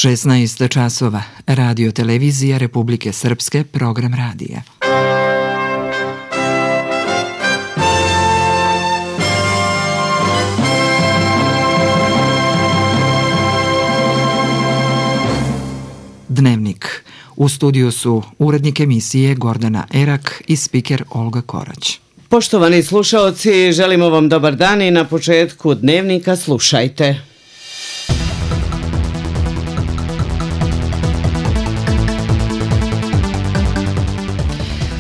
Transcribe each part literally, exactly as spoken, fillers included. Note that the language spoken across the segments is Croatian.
šesnaest časova. Radio televizija Republike Srpske, program radija. Dnevnik. U studiju su urednik emisije Gordana Erak i spiker Olga Korać. Poštovani slušaoci, želimo vam dobar dan i na početku Dnevnika slušajte.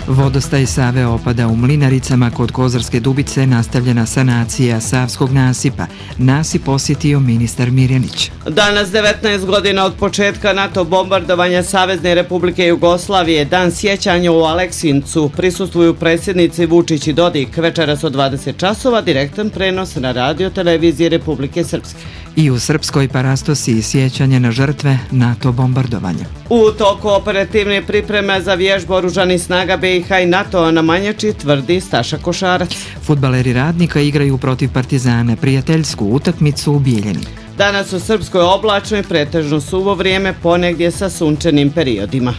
Vodostaj Save opada u Mlinaricama kod Kozarske Dubice, nastavljena sanacija Savskog nasipa. Nasip posjetio ministar Mirjanić. Danas devetnaest godina od početka NATO bombardovanja Savezne Republike Jugoslavije, dan sjećanja u Aleksincu, prisustvuju predsjednici Vučić i Dodik. Večeras od dvadeset časova direktan prenos na radio televiziji Republike Srpske. I u Srpskoj Parastosi sjećanje na žrtve NATO bombardovanja. U toku operativne pripreme za vježbu oružanih snaga B i H i NATO na Manjači, tvrdi Staša Košarac. Fudbaleri Radnika igraju protiv Partizana prijateljsku utakmicu u Bijeljini. Danas u Srpskoj oblačno i pretežno suvo vrijeme, ponegdje sa sunčanim periodima.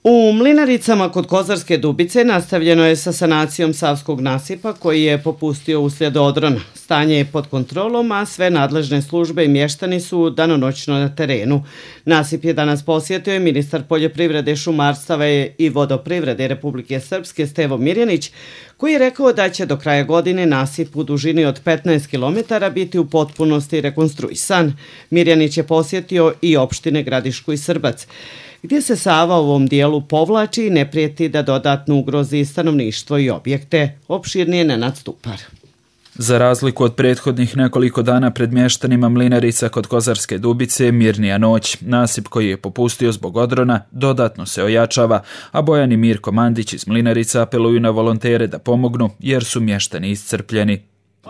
U Mlinaricama kod Kozarske Dubice nastavljeno je sa sanacijom Savskog nasipa koji je popustio uslijed odrona. Stanje je pod kontrolom, a sve nadležne službe i mještani su danonoćno na terenu. Nasip je danas posjetio i ministar poljoprivrede, šumarstva i vodoprivrede Republike Srpske Stevo Mirjanić, koji je rekao da će do kraja godine nasip u dužini od petnaest kilometara biti u potpunosti rekonstruisan. Mirjanić je posjetio i opštine Gradišku i Srbac, gdje se Sava u ovom dijelu povlači i ne prijeti da dodatno ugrozi stanovništvo i objekte. Opširnije Nenad Stupar. Za razliku od prethodnih nekoliko dana pred mještanima Mlinarica kod Kozarske Dubice, mirnija noć. Nasip koji je popustio zbog odrona dodatno se ojačava, a Bojan i Mirko Mandić iz Mlinarica apeluju na volontere da pomognu jer su mještani iscrpljeni.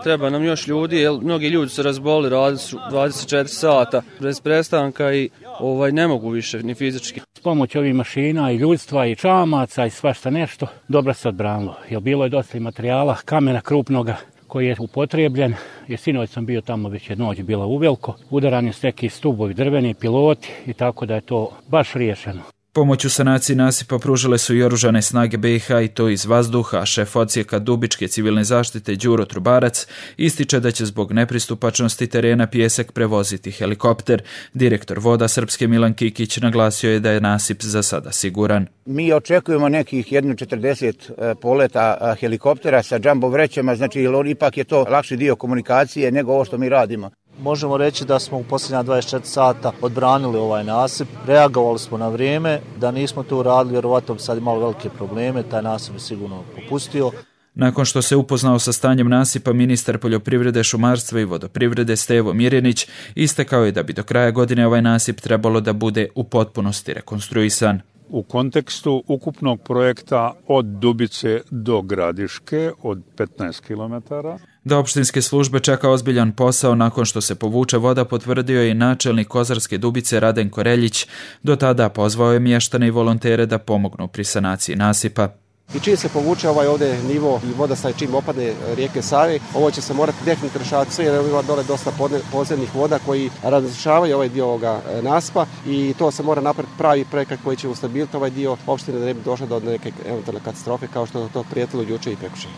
Treba nam još ljudi, jer mnogi ljudi se razboli, radili su dvadeset četiri sata bez prestanka i ovaj, ne mogu više ni fizički. S pomoć ovih mašina i ljudstva i čamaca i svašta nešto, dobro se odbranilo. Jer bilo je dosta materijala, kamena krupnoga koji je upotrebljen. Jer sinoć sam bio tamo, već je noć bila uveliko. Udarani su neki stubovi, drveni, piloti i tako da je to baš riješeno. Pomoć u sanaciji nasipa pružile su i oružane snage B i H i to iz vazduha. Šef odsjeka Dubičke civilne zaštite Đuro Trubarac ističe da će zbog nepristupačnosti terena pijesak prevoziti helikopter. Direktor Voda Srpske Milan Kikić naglasio je da je nasip za sada siguran. Mi očekujemo nekih jedno četrdeset poleta helikoptera sa džambo vrećama, znači ipak je to lakši dio komunikacije nego ovo što mi radimo. Možemo reći da smo u posljednja dvadeset četiri sata odbranili ovaj nasip, reagovali smo na vrijeme, da nismo to uradili, vjerovatno bi sad imali velike probleme, taj nasip je sigurno popustio. Nakon što se upoznao sa stanjem nasipa, ministar poljoprivrede, šumarstva i vodoprivrede Stevo Mirjanić istakao je da bi do kraja godine ovaj nasip trebalo da bude u potpunosti rekonstruisan. U kontekstu ukupnog projekta od Dubice do Gradiške od petnaest kilometara. Da opštinske službe čeka ozbiljan posao nakon što se povuče voda, potvrdio je i načelnik Kozarske Dubice Radenko Reljić. Do tada pozvao je mještane i volontere da pomognu pri sanaciji nasipa. I čim se povuče ovaj ovdje nivo i vodostaj, čim opade rijeke Save, ovo će se morati definitivno rješavati sve jer ima dole dosta podzemnih voda koji razrješavaju ovaj dio ovoga nasipa i to se mora napraviti pravi projekat koji će ustabiliti ovaj dio opštine da ne bi došlo do neke eventualne katastrofe kao što je to prijetilo jučer i prekjučer.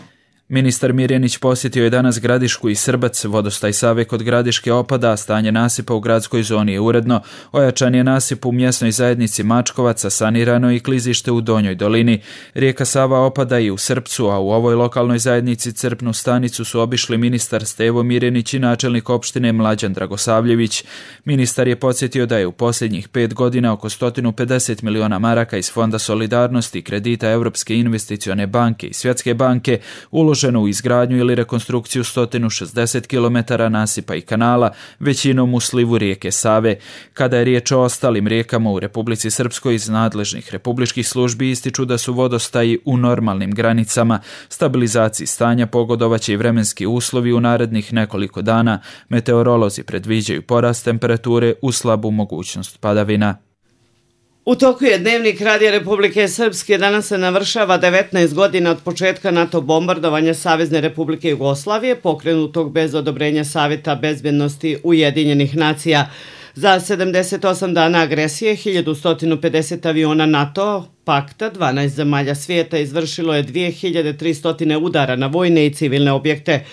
Ministar Mirjanić posjetio je danas Gradišku i Srbac. Vodostaj Save kod Gradiške opada, a stanje nasipa u gradskoj zoni je uredno. Ojačan je nasip u mjesnoj zajednici Mačkovaca, sanirano i klizište u Donjoj dolini. Rijeka Sava opada i u Srpcu, a u ovoj lokalnoj zajednici crpnu stanicu su obišli ministar Stevo Mirjanić i načelnik opštine Mlađan Dragosavljević. Ministar je podsjetio da je u posljednjih pet godina oko sto pedeset miliona maraka iz Fonda solidarnosti i kredita Europske investicione banke i Svjetske banke uloženo u izgradnju ili rekonstrukciju sto šezdeset kilometara nasipa i kanala, većinom u slivu rijeke Save. Kada je riječ o ostalim rijekama u Republici Srpskoj, iz nadležnih republičkih službi ističu da su vodostaji u normalnim granicama. Stabilizaciji stanja pogodovaće i vremenski uslovi u narednih nekoliko dana. Meteorolozi predviđaju porast temperature uz slabu mogućnost padavina. U toku je Dnevnik Radija Republike Srpske. Danas se navršava devetnaest godina od početka NATO bombardovanja Savezne Republike Jugoslavije, pokrenutog bez odobrenja Saveta bezbednosti Ujedinjenih nacija. Za sedamdeset osam dana agresije, hiljadu sto pedeset aviona NATO pakta, dvanaest zemalja svijeta, izvršilo je dvije hiljade tristo udara na vojne i civilne objekte.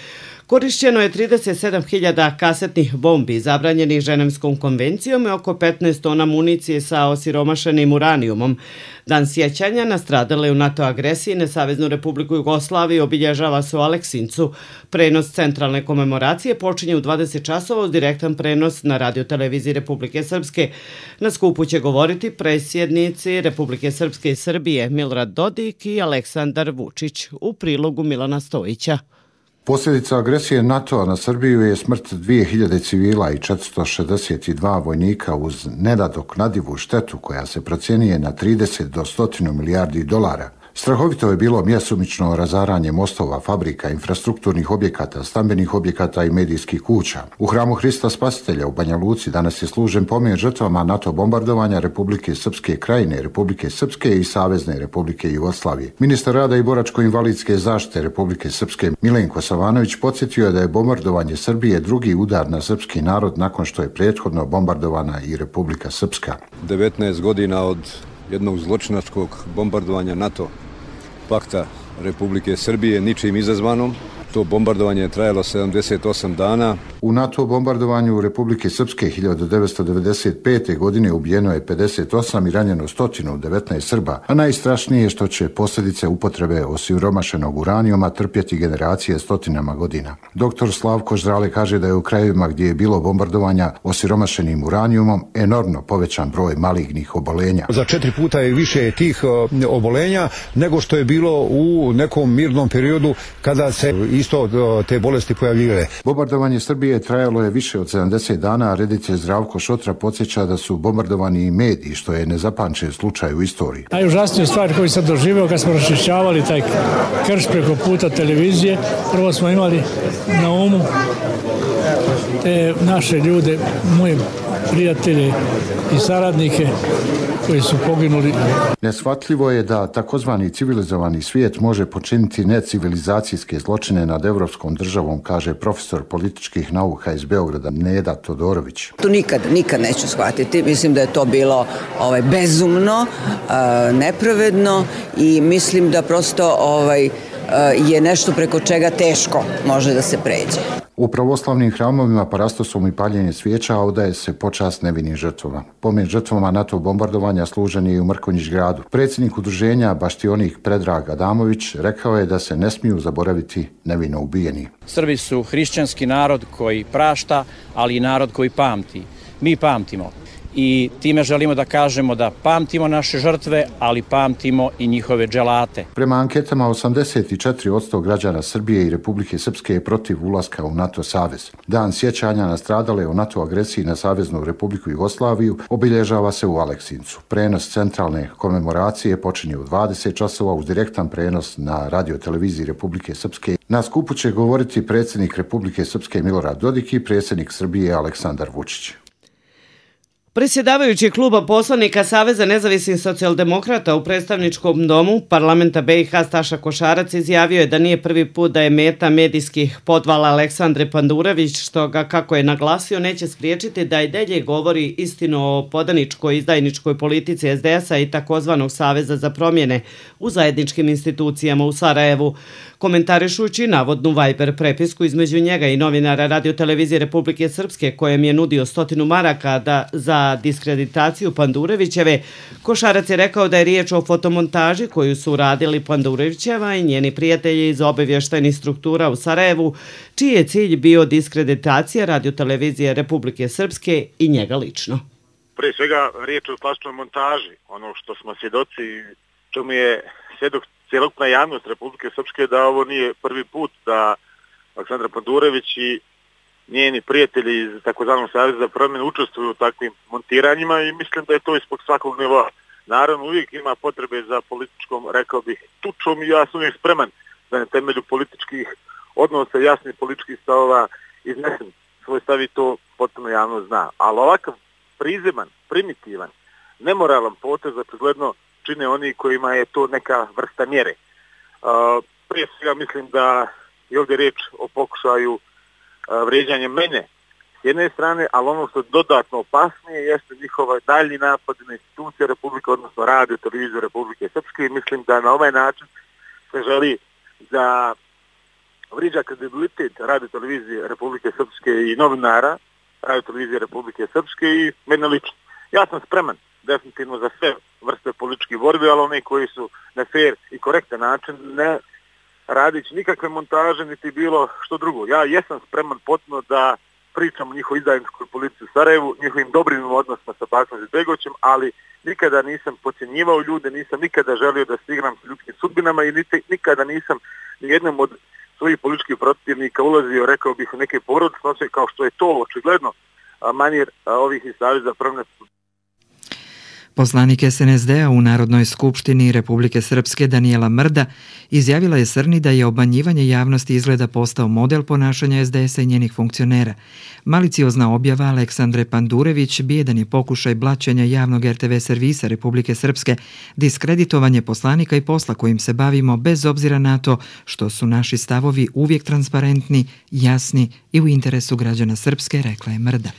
Korišćeno je trideset sedam hiljada kasetnih bombi zabranjenih Ženevskom konvencijom i oko petnaest tona municije sa osiromašenim uranijumom. Dan sjećanja na stradale u NATO agresiji na Saveznu Republiku Jugoslaviju obilježava se u Aleksincu. Prenos centralne komemoracije počinje u dvadeset časova uz direktan prenos na radioteleviziji Republike Srpske. Na skupu će govoriti predsjednici Republike Srpske i Srbije Milorad Dodik i Aleksandar Vučić. U prilogu Milana Stojića. Posljedica agresije NATO-a na Srbiju je smrt dvije hiljade civila i četiristo šezdeset dva vojnika uz nenadoknadivu štetu koja se procjenjuje na trideset do sto milijardi dolara. Strahovito je bilo mjesomično razaranje mostova, fabrika, infrastrukturnih objekata, stambenih objekata i medijskih kuća. U hramu Hrista Spasitelja u Banja Luci danas je služen pomen žrtvama NATO bombardovanja Republike Srpske Krajine, Republike Srpske i Savezne Republike Jugoslavije. Ministar rada i boračko-invalidske zaštite Republike Srpske Milenko Savanović podsjetio je da je bombardovanje Srbije drugi udar na srpski narod nakon što je prethodno bombardovana i Republika Srpska. devetnaest godina od jednog zločinačkog bombardovanja NATO pakta Republike Srbije, ničim izazvanom. To bombardovanje je trajalo sedamdeset osam dana. U NATO bombardovanju Republike Srpske hiljadu devetsto devedeset pete. godine ubijeno je pedeset osam i ranjeno sto devetnaest Srba, a najstrašnije je što će posljedice upotrebe osiromašenog uranijuma trpjeti generacije stotinama godina. Doktor Slavko Ždrale kaže da je u krajevima gdje je bilo bombardovanja osiromašenim uranijumom enormno povećan broj malignih obolenja. Za četiri puta je više tih obolenja nego što je bilo u nekom mirnom periodu kada se isto te bolesti pojavljivale. Bombardovanje Srbije trajalo je više od sedamdeset dana, a reditelj Zdravko Šotra podsjeća da su bombardovani i mediji, što je nezapamćen slučaj u istoriji. Najužasniju stvar koju sam doživio kad smo raščišćavali taj krš preko puta televizije, prvo smo imali na umu te naše ljude, moje prijatelje i saradnike koji su poginuli. Neshvatljivo je da takozvani civilizovani svijet može počiniti necivilizacijske zločine nad evropskom državom, kaže profesor političkih nauka iz Beograda Neda Todorović. To nikad, nikad neću shvatiti. Mislim da je to bilo ovaj, bezumno, nepravedno i mislim da prosto ovaj, je nešto preko čega teško može da se pređe. U pravoslavnim hramovima parastosom i paljenje svijeća odaje se počast nevinim žrtvama. Pomen žrtvama NATO bombardovanja služen je i u Mrkonjić gradu. Predsjednik udruženja Baštionik Predrag Adamović rekao je da se ne smiju zaboraviti nevino ubijeni. Srbi su hrišćanski narod koji prašta, ali i narod koji pamti. Mi pamtimo. I time želimo da kažemo da pamtimo naše žrtve, ali pamtimo i njihove dželate. Prema anketama osamdeset četiri posto građana Srbije i Republike Srpske je protiv ulaska u NATO savez. Dan sjećanja na stradale o NATO agresiji na Saveznu Republiku Jugoslaviju obilježava se u Aleksincu. Prenos centralne komemoracije počinje u dvadeset časova uz direktan prenos na radioteleviziji Republike Srpske. Na skupu će govoriti predsjednik Republike Srpske Milorad Dodik i predsjednik Srbije Aleksandar Vučić. Predsjedavajući kluba poslanika Saveza nezavisnih socijaldemokrata u predstavničkom domu parlamenta B i H Staša Košarac izjavio je da nije prvi put da je meta medijskih podvala Aleksandre Pandurević, što ga, kako je naglasio, neće spriječiti da i dalje govori istinu o podaničkoj izdajničkoj politici S D S-a i takozvanog Saveza za promjene u zajedničkim institucijama u Sarajevu. Komentarišući navodnu Viber prepisku između njega i novinara radiotelevizije Republike Srpske kojem je nudio stotinu maraka da za diskreditaciju Pandurevićeve, Košarac je rekao da je riječ o fotomontaži koju su uradili Pandurevićeva i njeni prijatelji iz obavještajnih struktura u Sarajevu, čiji je cilj bio diskreditacija radiotelevizije Republike Srpske i njega lično. Prije svega riječ o klasičnoj montaži, ono što smo svjedoci, čemu je svjedok cjelokupna javnost Republike Srpske, da ovo nije prvi put da Aleksandra Pandurević i njeni prijatelji iz takozvanog Saveza za promjenu učestvuju u takvim montiranjima i mislim da je to ispod svakog nivoa. Naravno, uvijek ima potrebe za političkom, rekao bih, tučom i ja sam uvijek spreman da na temelju političkih odnosa, jasnih političkih stavova iznesem svoj stav i to potpuno javno zna. Ali ovakav prizeman, primitivan, nemoralan potez, očigledno čine oni kojima je to neka vrsta mjere. Uh, prije svega mislim da je ovdje riječ o pokušaju uh, vrijeđanja mene s jedne strane, ali ono što je dodatno opasnije jeste njihova daljnji napad na institucije Republike, odnosno radio, televiziju Republike Srpske, i mislim da na ovaj način se želi da vrijeđa kredibilitet radio, televizije Republike Srpske i novinara radio, televizije Republike Srpske i mene lično. Ja sam spreman definitivno za sve vrste političkih borbi, ali one koji su na fair i korektan način, ne radići nikakve montaže niti bilo što drugo. Ja jesam spreman potpuno da pričam o njihovoj izdajničkoj politici u Sarajevu, njihovim dobrim odnosima sa Bakom Izetbegovićem, ali nikada nisam podcjenjivao ljude, nisam nikada želio da se igram s ljudskim sudbinama i nikada nisam nijednom od svojih političkih protivnika ulazio, rekao bih, u neke porodičnosti, kao što je to očigledno manir ovih iz Saveza promjene. Poslanik S N S D-a u Narodnoj skupštini Republike Srpske Danijela Mrda izjavila je Srni da je obmanjivanje javnosti izgleda postao model ponašanja S D S-a i njenih funkcionera. Maliciozna objava Aleksandre Pandurević bijedan je pokušaj blaćenja javnog R T V servisa Republike Srpske, diskreditovanje poslanika i posla kojim se bavimo bez obzira na to što su naši stavovi uvijek transparentni, jasni i u interesu građana Srpske, rekla je Mrda.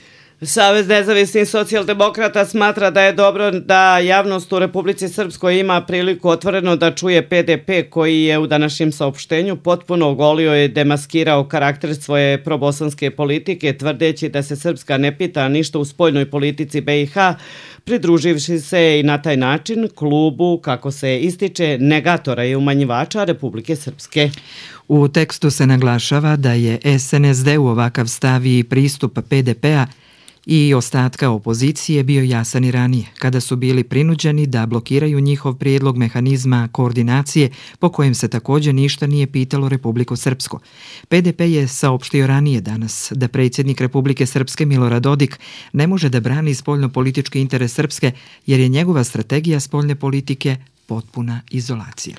Savez nezavisnih socijaldemokrata smatra da je dobro da javnost u Republici Srpskoj ima priliku otvoreno da čuje P D P, koji je u današnjem saopštenju potpuno ogolio i demaskirao karakter svoje probosanske politike, tvrdeći da se Srpska ne pita ništa u spoljnoj politici B i H, pridruživši se i na taj način klubu, kako se ističe, negatora i umanjivača Republike Srpske. U tekstu se naglašava da je S N S D u ovakav stav i pristup P D P-a i ostatka opozicije bio jasan i ranije, kada su bili prinuđeni da blokiraju njihov prijedlog mehanizma koordinacije po kojem se također ništa nije pitalo Republiku Srpsku. P D P je saopštio ranije danas da predsjednik Republike Srpske Milorad Dodik ne može da brani spoljno-politički interes Srpske jer je njegova strategija spoljne politike potpuna izolacija.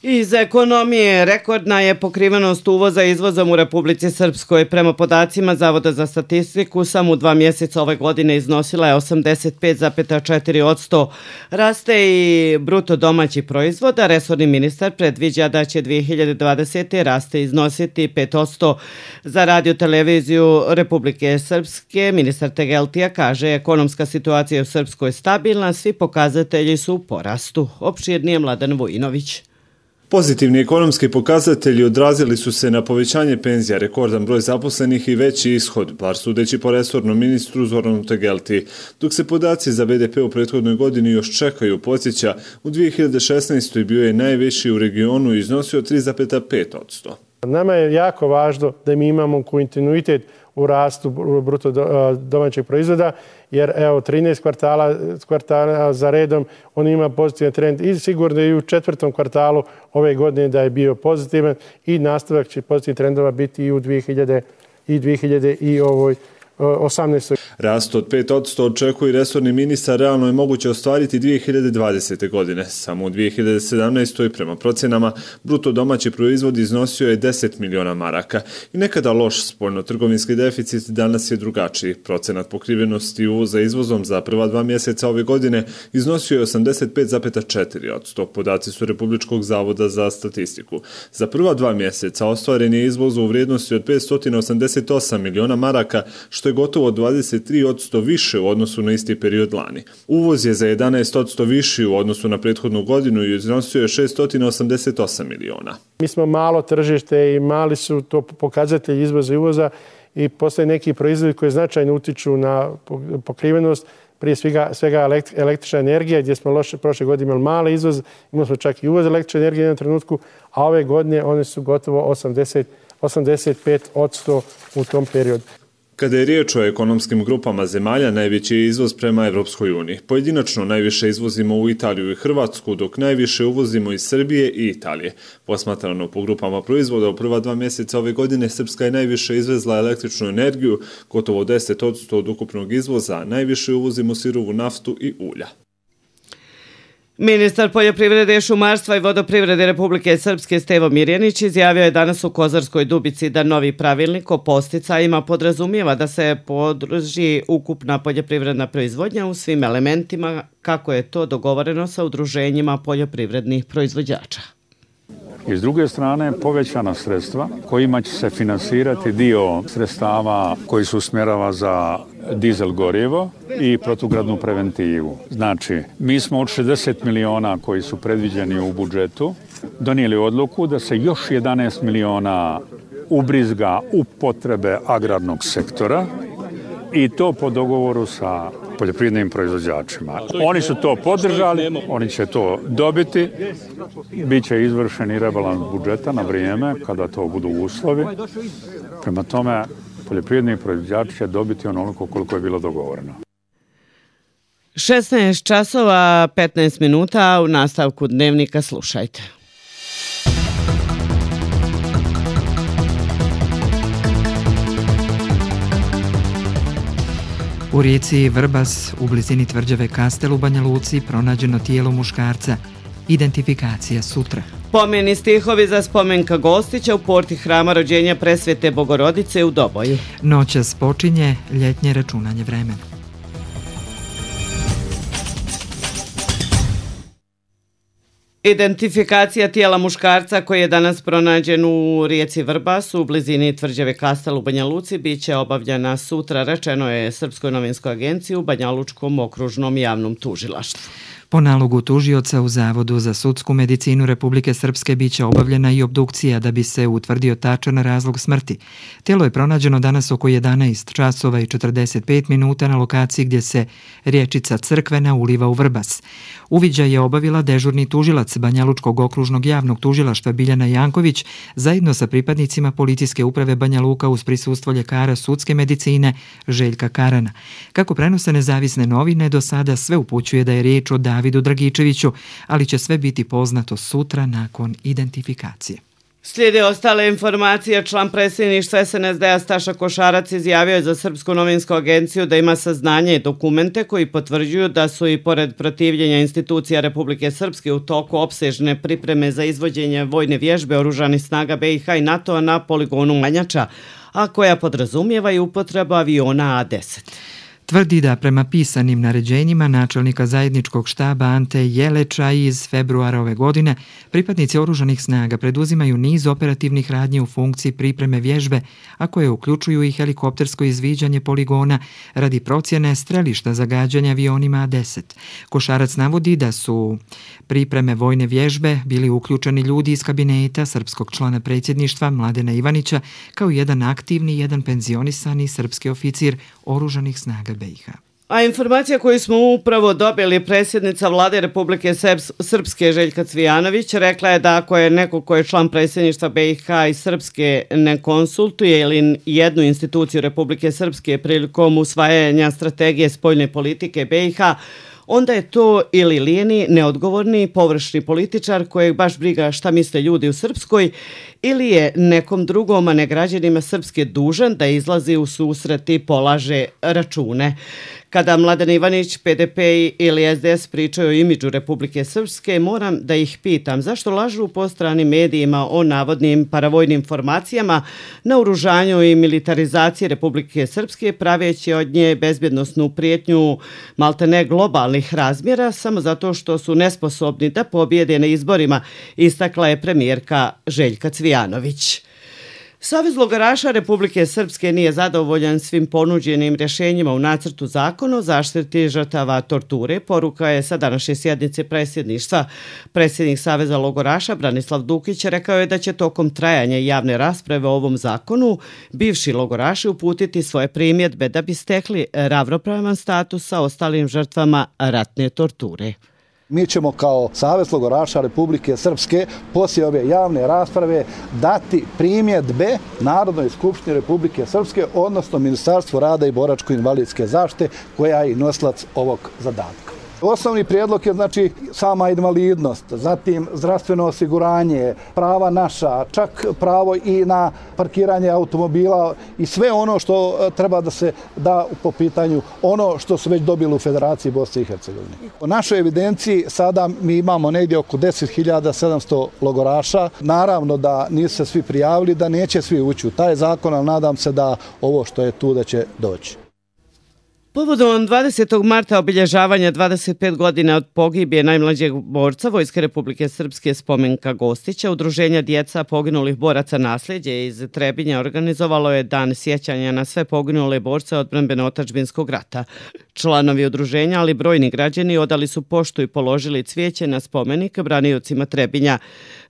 Iz ekonomije rekordna je pokrivenost uvoza izvozom u Republici Srpskoj. Prema podacima Zavoda za statistiku, samo u dva mjeseca ove godine iznosila je osamdeset pet zarez četiri posto. Raste i bruto domaći proizvod, a resorni ministar predviđa da će dvije hiljade dvadesete. raste iznositi pet posto. Za radio televiziju Republike Srpske ministar Tegeltija kaže ekonomska situacija u Srpskoj je stabilna, svi pokazatelji su u porastu. Opširnije Mladen Vojinović. Pozitivni ekonomski pokazatelji odrazili su se na povećanje penzija, rekordan broj zaposlenih i veći ishod, bar sudeći po resornom ministru Zoranu Tegelti. Dok se podaci za B D P u prethodnoj godini još čekaju, podsjeća, u dvije hiljade šesnaestoj bio je najviši u regionu i iznosio tri zarez pet posto. Nama je jako važno da mi imamo kontinuitet u rastu bruto domaćeg proizvoda, jer evo trinaest kvartala, kvartala za redom on ima pozitivan trend i sigurno i u četvrtom kvartalu ove godine da je bio pozitivan i nastavak će pozitivnih trendova biti i u dvije hiljade osamnaestoj. Rast od pet posto očekuje resorni ministar, realno je moguće ostvariti dvije hiljade dvadesete. godine. Samo u dvije hiljade sedamnaestoj. prema procenama bruto domaći proizvod iznosio je deset miliona maraka i nekada loš spoljno-trgovinski deficit danas je drugačiji. Procenat pokrivenosti uvoza izvozom za prva dva mjeseca ove godine iznosio je osamdeset pet zarez četiri posto. Podaci su Republičkog zavoda za statistiku. Za prva dva mjeseca ostvaren je izvoz u vrijednosti od petsto osamdeset osam miliona maraka, što je gotovo dvadeset tri posto više u odnosu na isti period lani. Uvoz je za jedanaest posto viši u odnosu na prethodnu godinu i iznosio je šessto osamdeset osam miliona. Mi smo malo tržište i mali su to pokazatelji izvoza i uvoza i postoje neki proizvodi koji značajno utiču na pokrivenost, prije svega, svega električna energija, gdje smo loše, prošle godine imali mali izvoz, imali smo čak i uvoz električne energije u jednom trenutku, a ove godine one su gotovo osamdeset, osamdeset pet posto u tom periodu. Kada je riječ o ekonomskim grupama zemalja, najveći je izvoz prema Evropskoj uniji. Pojedinačno najviše izvozimo u Italiju i Hrvatsku, dok najviše uvozimo iz Srbije i Italije. Posmatrano po grupama proizvoda, u prva dva mjeseca ove godine Srpska je najviše izvezla električnu energiju, gotovo deset posto od ukupnog izvoza, najviše uvozimo sirovu naftu i ulja. Ministar poljoprivrede, šumarstva i vodoprivrede Republike Srpske Stevo Mirjanić izjavio je danas u Kozarskoj Dubici da novi pravilnik o podsticajima podrazumijeva da se podrži ukupna poljoprivredna proizvodnja u svim elementima kako je to dogovoreno sa udruženjima poljoprivrednih proizvođača. I s druge strane povećana sredstva kojima će se finansirati dio sredstava koji se usmjerava za dizel gorivo i protugradnu preventivu. Znači, mi smo od šezdeset miliona koji su predviđeni u budžetu donijeli odluku da se još jedanaest miliona ubrizga u potrebe agrarnog sektora i to po dogovoru sa poljoprivrednim proizvođačima. Oni su to podržali, oni će to dobiti, bit će izvršen i rebalans budžeta na vrijeme kada to budu uslovi. Prema tome, poljoprivredni proizvođači će dobiti onoliko koliko je bilo dogovoreno. šesnaest časova petnaest minuta, u nastavku dnevnika slušajte. U rijeci Vrbas, u blizini tvrđave Kastel u Banja Luci, pronađeno tijelo muškarca. Identifikacija sutra. Pomeni stihovi za spomenka Gostića u porti hrama rođenja Presvete Bogorodice u Doboju. Noćas počinje ljetnje računanje vremena. Identifikacija tijela muškarca koji je danas pronađen u rijeci Vrbas u blizini tvrđave Kastel u Banja Luci bit će obavljena sutra, rečeno je Srpskoj novinskoj agenciji u Banja Lučkom okružnom javnom tužilaštvu. Po nalogu tužioca u Zavodu za sudsku medicinu Republike Srpske biće obavljena i obdukcija da bi se utvrdio tačan razlog smrti. Tijelo je pronađeno danas oko jedanaest časova i četrdeset pet minuta na lokaciji gdje se riječica Crkvena uliva u Vrbas. Uviđaj je obavila dežurni tužilac Banja Lučkog okružnog javnog tužilaštva Biljana Janković zajedno sa pripadnicima policijske uprave Banja Luka uz prisustvo ljekara sudske medicine Željka Karana. Kako prenose nezavisne novine, do sada sve upućuje da je riječ o Davidu Dragičeviću, ali će sve biti poznato sutra nakon identifikacije. Slijede ostale informacije. Član predsjedništva S N S D-a Staša Košarac izjavio je za Srpsku novinsku agenciju da ima saznanje i dokumente koji potvrđuju da su i pored protivljenja institucija Republike Srpske u toku opsežne pripreme za izvođenje vojne vježbe oružanih snaga B i H i NATO-a na poligonu Manjača, a koja podrazumijeva i upotrebu aviona A deset. Tvrdi da prema pisanim naređenjima načelnika zajedničkog štaba Ante Jeleča iz februara ove godine pripadnici oružanih snaga preduzimaju niz operativnih radnji u funkciji pripreme vježbe, a koje uključuju i helikoptersko izviđanje poligona radi procjene strelišta zagađanja avionima A deset. Košarac navodi da su pripreme vojne vježbe bili uključeni ljudi iz kabineta srpskog člana predsjedništva Mladena Ivanića, kao jedan aktivni i jedan penzionisani srpski oficir oružanih snaga B i H. A informacija koju smo upravo dobili, predsjednica vlade Republike Srpske Željka Cvijanović rekla je da ako je neko ko je član predsjedništva B i H i Srpske ne konsultuje ili jednu instituciju Republike Srpske prilikom usvajanja strategije spoljne politike B i H, onda je to ili lijeni, neodgovorni, površni političar kojeg baš briga šta misle ljudi u Srpskoj, ili je nekom drugom, a ne građanima Srpske, dužan da izlazi u susret i polaže račune. Kada Mladen Ivanić, P D P ili S D S pričaju o imidžu Republike Srpske, moram da ih pitam zašto lažu po stranim medijima o navodnim paravojnim formacijama, naoružanju i militarizaciji Republike Srpske, praveći od nje bezbjednosnu prijetnju maltene globalnih razmjera samo zato što su nesposobni da pobjede na izborima, istakla je premijerka Željka Cvijanović. Savez logoraša Republike Srpske nije zadovoljan svim ponuđenim rješenjima u nacrtu zakona o zaštiti žrtava torture. Poruka je sa današnje sjednice predsjedništva. Predsjednik Saveza logoraša Branislav Dukić rekao je da će tokom trajanja javne rasprave o ovom zakonu bivši logoraši uputiti svoje primjedbe da bi stekli ravnopravan status sa ostalim žrtvama ratne torture. Mi ćemo kao Savez logoraša Republike Srpske poslije ove javne rasprave dati primjedbe Narodnoj skupštini Republike Srpske, odnosno Ministarstvu rada i boračko-invalidske zaštite, koja je i nosilac ovog zadatka. Osnovni prijedlog je znači sama invalidnost, zatim zdravstveno osiguranje, prava naša, čak pravo i na parkiranje automobila i sve ono što treba da se da po pitanju ono što su već dobili u Federaciji Bosne i Hercegovine. U našoj evidenciji sada mi imamo negdje oko deset hiljada sedamsto logoraša. Naravno da nisu se svi prijavili, da neće svi ući u taj zakon, ali nadam se da ovo što je tu da će doći. Povodom dvadesetog marta obilježavanja dvadeset pet godina od pogibije najmlađeg borca Vojske Republike Srpske Spomenka Gostića, Udruženja djeca poginulih boraca Nasljeđe iz Trebinja organizovalo je dan sjećanja na sve poginule borce odbrambeno-otadžbinskog rata. Članovi udruženja, ali brojni građani odali su poštu i položili cvijeće na spomenik braniocima Trebinja.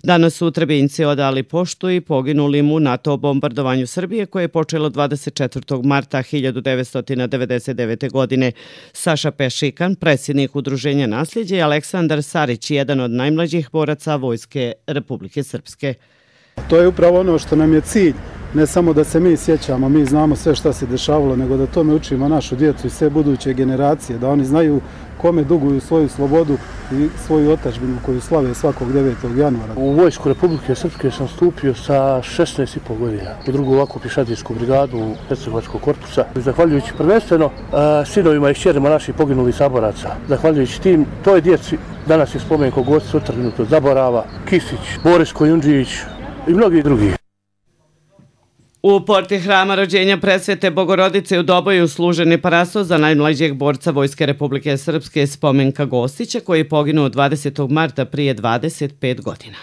Danas su Trebinjci odali poštu i poginulim u NATO bombardovanju Srbije koje je počelo dvadeset četvrtog marta hiljadu devetsto devedeset devete. godine. Saša Pešikan, predsjednik Udruženja Nasljeđe, i Aleksandar Sarić, jedan od najmlađih boraca Vojske Republike Srpske. To je upravo ono što nam je cilj, ne samo da se mi sjećamo, mi znamo sve šta se dešavalo, nego da tome učimo našu djecu i sve buduće generacije, da oni znaju kome duguju svoju slobodu i svoju otadžbinu koju slave svakog devetog januara. U Vojsku Republike Srpske sam stupio sa šesnaest i po godina u drugu ovakvu pješadijsku brigadu Hercegovačkog korpusa. Zahvaljujući prvenstveno sinovima i kćerima naših poginulih saboraca, zahvaljujući tim, toj djeci danas je Spomenko Gostić otrgnut od zaborava, Kisić, Boris Kojundžić i mnogi drugi. U porti hrama rođenja Presvete Bogorodice u Doboju služen je parastos za najmlađeg borca Vojske Republike Srpske Spomenka Gostića koji je poginuo dvadesetog marta prije dvadeset pet godina.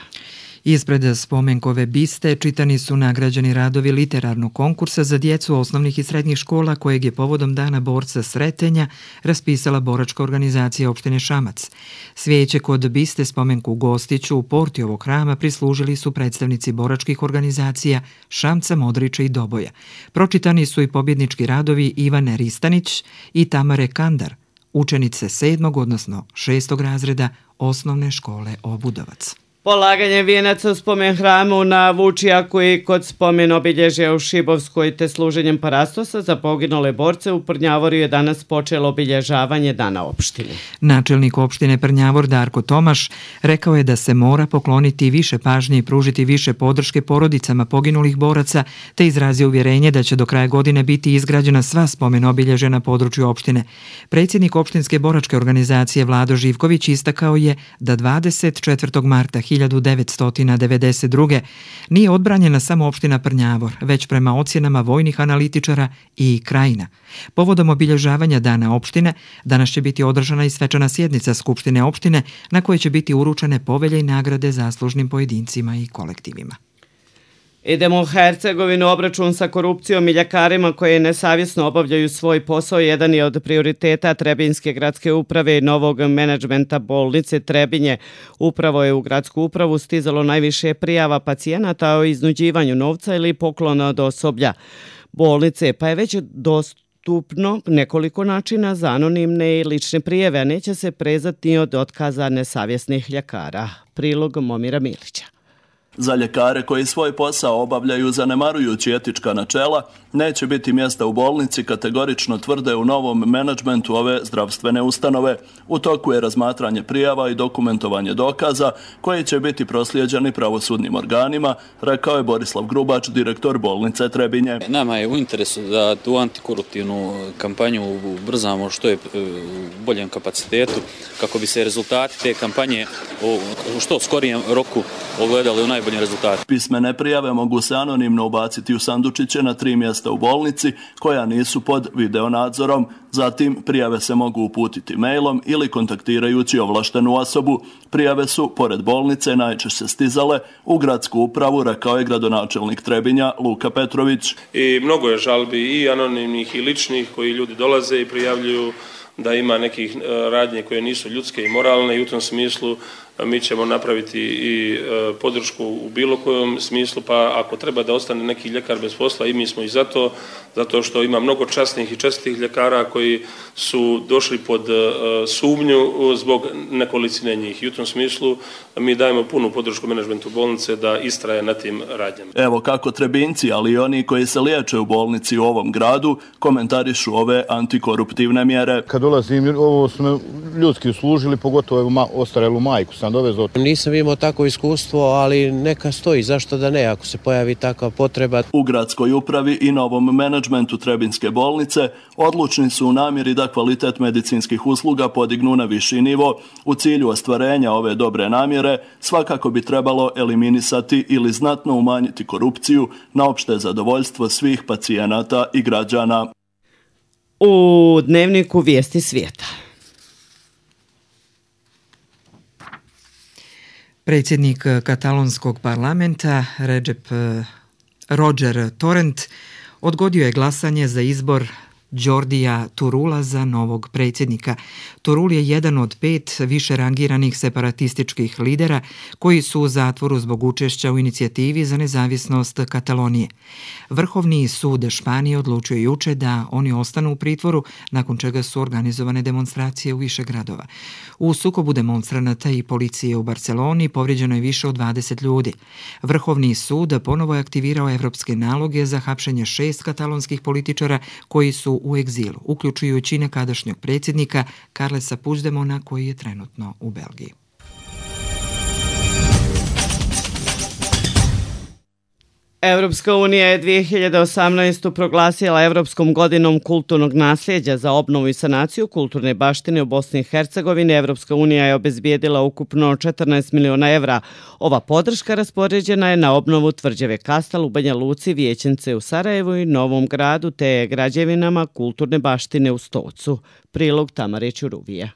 Ispred spomenkove biste čitani su nagrađeni radovi literarnog konkursa za djecu osnovnih i srednjih škola kojeg je povodom Dana borca Sretenja raspisala boračka organizacija opštine Šamac. Svijeće kod biste Spomenku Gostiću u porti ovog hrama prislužili su predstavnici boračkih organizacija Šamca, Modriča i Doboja. Pročitani su i pobjednički radovi Ivane Ristanić i Tamare Kandar, učenice sedmog, odnosno šestog razreda osnovne škole Obudovac. Polaganje vijenaca u spomen hramu na Vučijaku i kod spomen obilježja u Šibovskoj te služenjem parastosa za poginule borce u Prnjavoru je danas počelo obilježavanje Dana opštine. Načelnik opštine Prnjavor Darko Tomaš rekao je da se mora pokloniti više pažnje i pružiti više podrške porodicama poginulih boraca te izrazio uvjerenje da će do kraja godine biti izgrađena sva spomen obilježja na području opštine. Predsjednik opštinske boračke organizacije Vlado Živković istakao je da dvadeset četvrtog marta hiljadu devetsto devedeset druge. nije odbranjena samo opština Prnjavor, već prema ocjenama vojnih analitičara i Krajina. Povodom obilježavanja Dana opštine, danas će biti održana i svečana sjednica Skupštine opštine na kojoj će biti uručene povelje i nagrade zaslužnim pojedincima i kolektivima. Idemo u Hercegovinu. Obračun sa korupcijom i ljekarima koje nesavjesno obavljaju svoj posao jedan je od prioriteta Trebinjske gradske uprave i novog menadžmenta bolnice Trebinje. Upravo je u gradsku upravu stizalo najviše prijava pacijenata o iznuđivanju novca ili poklona od osoblja bolnice, pa je već dostupno nekoliko načina za anonimne i lične prijeve, a neće se prezati ni od otkaza nesavjesnih ljekara. Prilog Momira Milića. Za ljekare koji svoj posao obavljaju zanemarujući etička načela, neće biti mjesta u bolnici, kategorično tvrde u novom menadžmentu ove zdravstvene ustanove. U toku je razmatranje prijava i dokumentovanje dokaza koji će biti proslijeđeni pravosudnim organima, rekao je Borislav Grubač, direktor bolnice Trebinje. Nama je u interesu da tu antikoruptivnu kampanju ubrzamo što je u boljem kapacitetu, kako bi se rezultati te kampanje u što skorijem roku ogledali u najboljem rezultatu. Pismene prijave mogu se anonimno ubaciti u sandučiće na tri mjesta u bolnici koja nisu pod videonadzorom. Zatim prijave se mogu uputiti mailom ili kontaktirajući ovlaštenu osobu. Prijave su, pored bolnice, najčešće stizale u gradsku upravu, rekao je gradonačelnik Trebinja Luka Petrović. I mnogo je žalbi i anonimnih i ličnih koji ljudi dolaze i prijavljuju da ima nekih radnje koje nisu ljudske i moralne i u tom smislu mi ćemo napraviti i podršku u bilo kojem smislu, pa ako treba da ostane neki ljekar bez posla, i mi smo i zato, zato što ima mnogo časnih i čestitih ljekara koji su došli pod sumnju zbog nekolicine njih. I u tom smislu mi dajemo punu podršku menadžmentu bolnice da istraje na tim radnjama. Evo kako Trebinci, ali i oni koji se liječe u bolnici u ovom gradu, komentarišu ove antikoruptivne mjere. Kad dolazim, ovo su me ljudski uslužili, pogotovo ma, ostarelu majku sam dovezao. Nisam imao takvo iskustvo, ali neka stoji, zašto da ne, ako se pojavi takva potreba. U gradskoj upravi i novom menadžmentu Trebinske bolnice odlučni su u namjeri da kvalitet medicinskih usluga podignu na viši nivo. U cilju ostvarenja ove dobre namjere svakako bi trebalo eliminisati ili znatno umanjiti korupciju na opšte zadovoljstvo svih pacijenata i građana. U dnevniku Vijesti svijeta. Predsjednik katalonskog parlamenta Recep Roger Torrent odgodio je glasanje za izbor Jordija Turula za novog predsjednika. Turul je jedan od pet više rangiranih separatističkih lidera koji su u zatvoru zbog učešća u inicijativi za nezavisnost Katalonije. Vrhovni sud Španije odlučio juče da oni ostanu u pritvoru, nakon čega su organizovane demonstracije u više gradova. U sukobu demonstranata i policije u Barceloni povrijeđeno je više od dvadeset ljudi. Vrhovni sud ponovo je aktivirao evropske naloge za hapšenje šest katalonskih političara koji su u egzilu, uključujući nekadašnjeg predsjednika Carlesa Puigdemona koji je trenutno u Belgiji. Evropska unija je dvije hiljade osamnaestu. proglasila Evropskom godinom kulturnog nasljeđa. Za obnovu i sanaciju kulturne baštine u Bosni i Hercegovini Evropska unija je obezbijedila ukupno četrnaest miliona evra. Ova podrška raspoređena je na obnovu tvrđave Kastel u Banja Luci, Vijećence u Sarajevu i Novom Gradu te građevinama kulturne baštine u Stocu. Prilog Tamare Ćuruvija.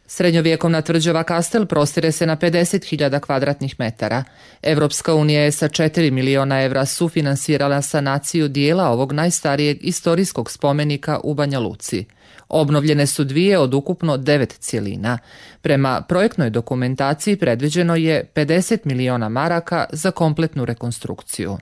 Srednjovjekovna tvrđava Kastel prostire se na pedeset hiljada kvadratnih metara. Evropska unija je sa četiri miliona evra sufinansirala sanaciju dijela ovog najstarijeg istorijskog spomenika u Banja Luci. Obnovljene su dvije od ukupno devet cjelina. Prema projektnoj dokumentaciji predviđeno je pedeset miliona maraka za kompletnu rekonstrukciju.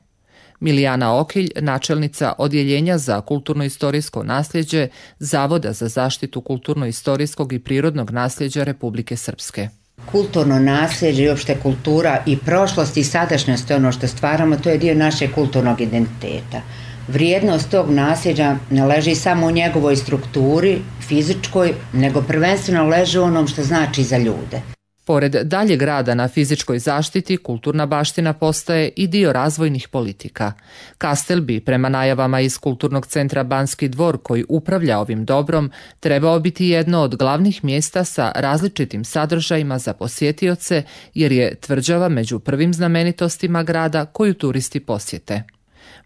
Milijana Okilj, načelnica Odjeljenja za kulturno-istorijsko nasljeđe Zavoda za zaštitu kulturno-istorijskog i prirodnog nasljeđa Republike Srpske. Kulturno nasljeđe i uopšte kultura i prošlost i sadašnjost, ono što stvaramo, to je dio našeg kulturnog identiteta. Vrijednost tog nasljeđa ne leži samo u njegovoj strukturi, fizičkoj, nego prvenstveno leži u onom što znači za ljude. Pored daljeg rada na fizičkoj zaštiti, kulturna baština postaje i dio razvojnih politika. Kastel bi, prema najavama iz Kulturnog centra Banski dvor koji upravlja ovim dobrom, trebao biti jedno od glavnih mjesta sa različitim sadržajima za posjetioce, jer je tvrđava među prvim znamenitostima grada koju turisti posjete.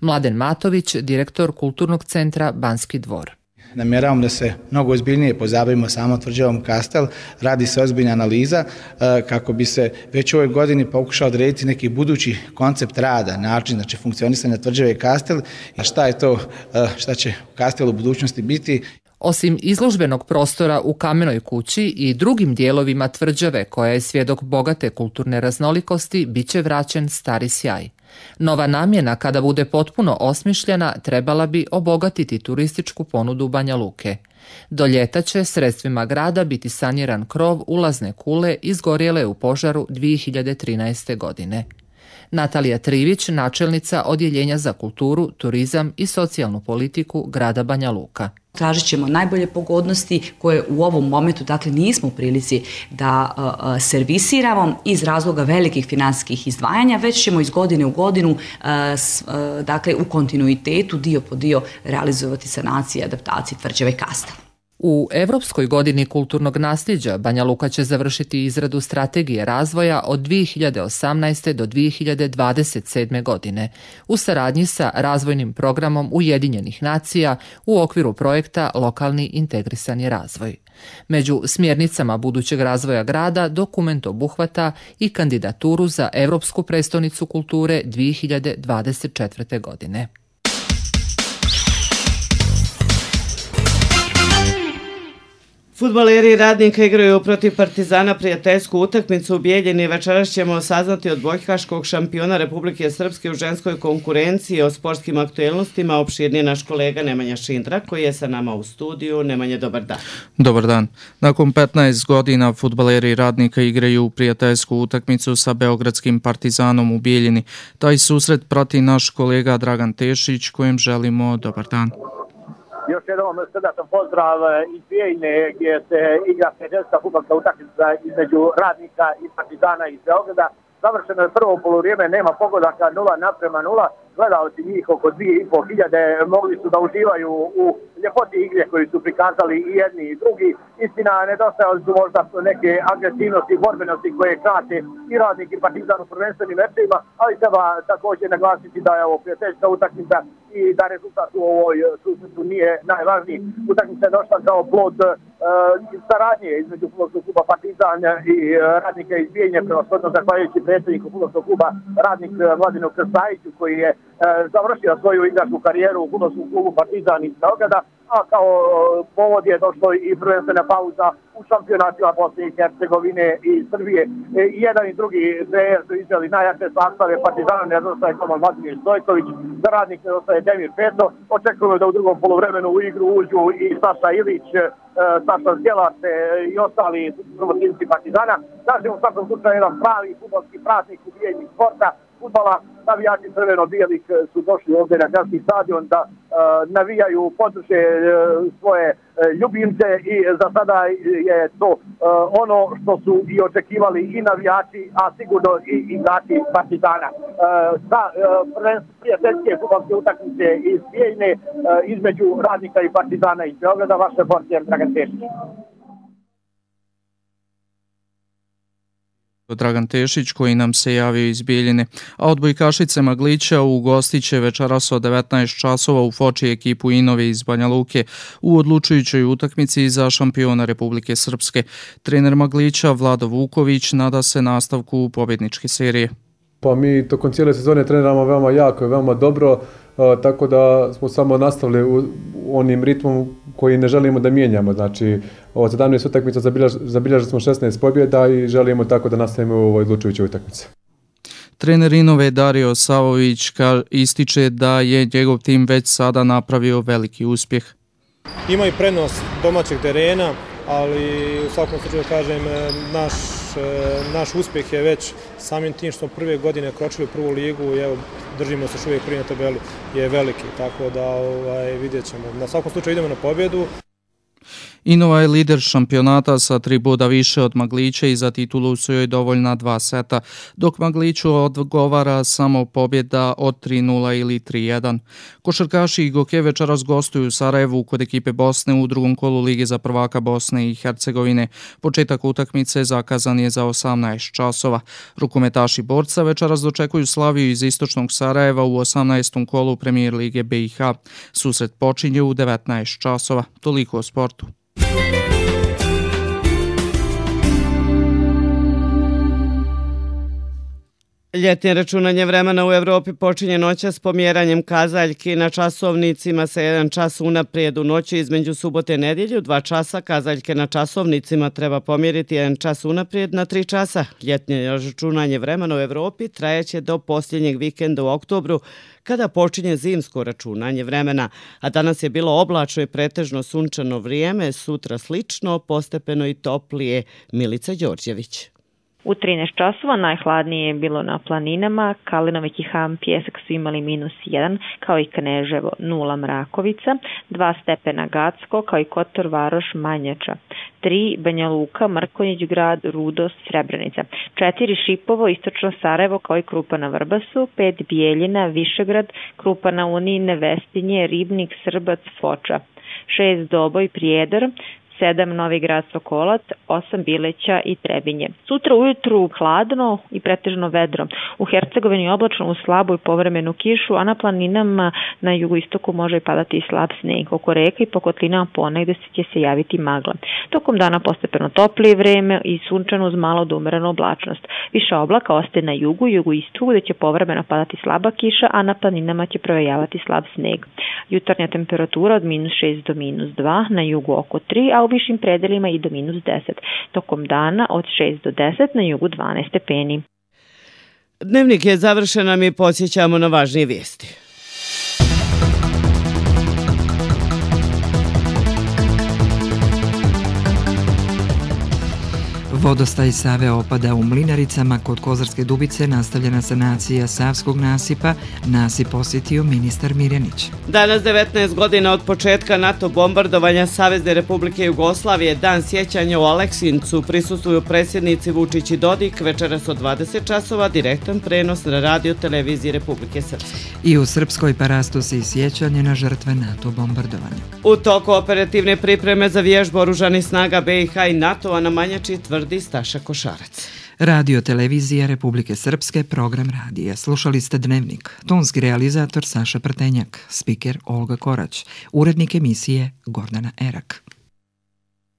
Mladen Matović, direktor Kulturnog centra Banski dvor. Namjeravamo da se mnogo ozbiljnije pozabavimo samo tvrđavom Kastel, radi se ozbiljna analiza kako bi se već u ovoj godini pokušao odrediti neki budući koncept rada, način znači funkcionisanja tvrđave Kastel i šta je to, šta će Kastel u budućnosti biti. Osim izložbenog prostora u Kamenoj kući i drugim dijelovima tvrđave koja je svjedok bogate kulturne raznolikosti, bit će vraćen stari sjaj. Nova namjena, kada bude potpuno osmišljena, trebala bi obogatiti turističku ponudu Banja Luke. Do ljeta će sredstvima grada biti saniran krov ulazne kule izgorjele u požaru dvije hiljade trinaeste. godine. Natalija Trivić, načelnica Odjeljenja za kulturu, turizam i socijalnu politiku grada Banja Luka. Tražit ćemo najbolje pogodnosti koje u ovom momentu dakle nismo u prilici da uh, servisiramo iz razloga velikih financijskih izdvajanja, već ćemo iz godine u godinu uh, s, uh, dakle u kontinuitetu dio po dio realizovati sanacije i adaptacije tvrđave Kastel. U Evropskoj godini kulturnog nasljeđa Banja Luka će završiti izradu strategije razvoja od dvije hiljade osamnaeste. do dvije hiljade dvadeset sedme. godine u saradnji sa razvojnim programom Ujedinjenih nacija u okviru projekta Lokalni integrisani razvoj. Među smjernicama budućeg razvoja grada dokument obuhvata i kandidaturu za Evropsku prestonicu kulture dvije hiljade dvadeset četvrte. godine. Fudbaleri Radnika igraju protiv Partizana prijateljsku utakmicu u Bijeljini. Večeras ćemo saznati od odbojkaškog šampiona Republike Srpske u ženskoj konkurenciji o sportskim aktuelnostima. Opširnije naš kolega Nemanja Šindra koji je sa nama u studiju. Nemanja, dobar dan. Dobar dan. Nakon petnaest godina fudbaleri Radnika igraju prijateljsku utakmicu sa beogradskim Partizanom u Bijeljini. Taj susret prati naš kolega Dragan Tešić kojem želimo dobar dan. Još jednom srdečan pozdrav iz Bijeljine gdje se igra prijateljska fudbalska utakmica između Radnika i Partizana iz Beograda. Završeno je prvo poluvrijeme, nema pogodaka, nula naprema nula. Gledalci njih oko dvije i pol hiljade mogli su da uživaju u ljepoti igre koju su prikazali i jedni i drugi. Istina, nedostajali su možda neke agresivnosti i borbenosti koje krate i Radnik i Partizan u prvenstvenim mečima, ali treba također naglasiti da je ovo prijateljska utakmica i da rezultat u ovoj susretu nije najvažniji. Utakmica je došla kao plod uh, saradnje između fudbalskog kluba Partizan i uh, Radnika iz Bijeljine, prevashodno zahvaljujući predsjedniku fudbalskog kluba Radnik Mladenu Krstajiću koji je završio svoju igračku karijeru u fudbalskom klubu Partizan iz Beograda, a kao povod je došlo i prvenstvena pauza u šampionatima Bosne i Hercegovine i Srbije. I jedan i drugi trener su izveli najjače sastave. Partizana nedostaje Toman Vladimir Stojković, za Radnik nedostaje Demir Peto. Očekujemo da u drugom poluvremenu u igru uđu i Saša Ilić, Saša Zjelace i ostali promotivci Partizana. Znači u svakom slučaju jedan pravi fudbalski praznik u Bijeljini sporta, fudbala. Navijači crveno-bijelih su došli ovdje na gradski stadion da uh, navijaju, podrže uh, svoje uh, ljubimce i za sada je to uh, ono što su i očekivali i navijači, a sigurno i igrači Partizana. Uh, za uh, prijateljske fudbalske utakmice iz Bijeljine uh, između Radnika i Partizana iz Beograda, vaš reporter Dragan Tešić. Dragan Tešić koji nam se javio iz Bijeljine, a odbojkašice Maglića ugostit će večeras od devetnaest časova u Foči ekipu Inove iz Banja Luke u odlučujućoj utakmici za šampiona Republike Srpske. Trener Maglića Vlado Vuković nada se nastavku pobjedničke serije. Pa mi tokom cijele sezone treniramo veoma jako i veoma dobro, a, tako da smo samo nastavili u, u onim ritmom koji ne želimo da mijenjamo. Znači, od sedamnaest utakmica zabilježili smo šesnaest pobjeda i želimo tako da nastavimo u ovoj odlučujućoj utakmici. Trener Inove Dario Savović ističe da je njegov tim već sada napravio veliki uspjeh. Ima i prednost domaćeg terena, ali u svakom slučaju kažem naš, naš uspjeh je već samim tim što prve godine kročili u prvu ligu i evo držimo se još uvijek prvi na tabeli je veliki, tako da ovaj, vidjet ćemo. Na svakom slučaju idemo na pobjedu. Inova je lider šampionata sa tri boda više od Maglića i za titulu su joj dovoljna dva seta, dok Magliću odgovara samo pobjeda od tri nula ili tri jedan. Košarkaši i Goke večeras gostuju u Sarajevu kod ekipe Bosne u drugom kolu Lige za prvaka Bosne i Hercegovine. Početak utakmice zakazan je za osamnaest časova. Rukometaši Borca večeras dočekuju Slaviju iz istočnog Sarajeva u osamnaestom kolu Premijer Lige B i H. Susret počinje u devetnaest časova. Toliko o sportu. Ljetnje računanje vremena u Evropi počinje noćas pomjeranjem kazaljki na časovnicima sa jedan čas unaprijed u noći između subote i nedjelju. Dva časa kazaljke na časovnicima treba pomjeriti jedan čas unaprijed na tri časa. Ljetnje računanje vremena u Evropi trajeće do posljednjeg vikenda u oktobru kada počinje zimsko računanje vremena. A danas je bilo oblačno i pretežno sunčano vrijeme, sutra slično, postepeno i toplije. Milica Đorđević. U trinaest časova najhladnije je bilo na planinama, Kalinović i Ham Pjesak su imali minus jedan, kao i Kneževo, nula Mrakovica, dva stepena Gacko, kao i Kotor Varoš Manjača, tri Banja Luka, Mrkonjić grad, Rudo, Srebrenica, četiri Šipovo, istočno Sarajevo, kao i Krupa na Vrbasu, pet Bijeljina, Višegrad, Krupa na Unine, Vestinje, Ribnik, Srbac, Foča, šest Doboj, Prijedor, sedam Novi Grad Sokolac, osam Bileća i Trebinje. Sutra ujutru hladno i pretežno vedro. U Hercegovini oblačno uz slabu i povremenu kišu, a na planinama na jugoistoku može padati i slab sneg. Oko reka i po kotlinama ponegde će se javiti magla. Tokom dana postepeno toplije vreme i sunčano uz malo do umerenu oblačnost. Više oblaka ostaje na jugu i jugoistoku gde će povremeno padati slaba kiša, a na planinama će provejavati slab sneg. Jutarnja temperatura od minus šest do minus dva, na jugu oko tri, a u višim predelima i do minus deset. Tokom dana od šest do deset, na jugu dvanaest stepeni. Dnevnik je završen, a mi podsjećamo na važnije vijesti. Vodostaj Save opada u Mlinaricama. Kod Kozarske Dubice nastavljena sanacija Savskog nasipa. Nasip posjetio ministar Mirjanić. Danas devetnaest godina od početka NATO bombardovanja Savezne Republike Jugoslavije, dan sjećanja u Aleksincu, prisustvuju predsjednici Vučić i Dodik. Večeras od dvadeset časova direktan prenos na radio televiziji Republike Srpske. I u Srpskoj parastosi sjećanje na žrtve NATO bombardovanja. U toku operativne pripreme za vježbu oružanih snaga B i H i NATO-a na Manjači, tvrdi Staša Košarac. Radio televizija Republike Srpske, program radija. Slušali ste Dnevnik. Tonski realizator Saša Prtenjak, spiker Olga Korać, urednik emisije Gordana Erak.